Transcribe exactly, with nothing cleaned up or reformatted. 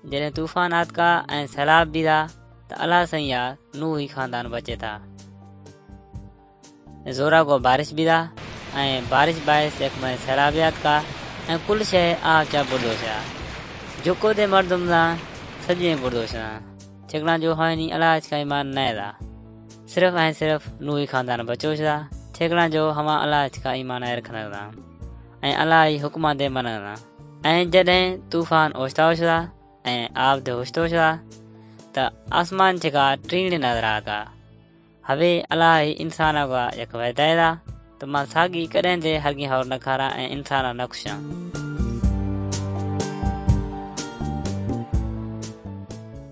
जॾहिं तूफ़ान आतका ऐं सैलाब बि था त अलाह साईं या नूह ही ख़ानदान बचे था। ज़ोरा को बारिश बि था ऐं बारिश बाइस यख में सैलाब आतका ऐं कुल शइ आब चा बुॾो छा। जेको दे मर्दुम था सॼे बुॾो छा, छेकड़ा जो हवानी अलाह का ईमान न था। सिर्फ़ ऐं सिर्फ़ नूह ख़ानदान बचो छा, छेकड़ा जो हवा अलाह का ईमान रखंदा था ऐं अलाह जी हुक्म ते मञंदा। ऐं जॾहिं तूफ़ान ओचिता ओचिता ऐं आब ते ओचितो ओचिता त आसमान जेका टीण नज़र आता। हवे अलाह इंसान का यक वदाए त मां साॻी कॾहिं ते हरगी हौर न खारा ऐं इंसान न खुशां।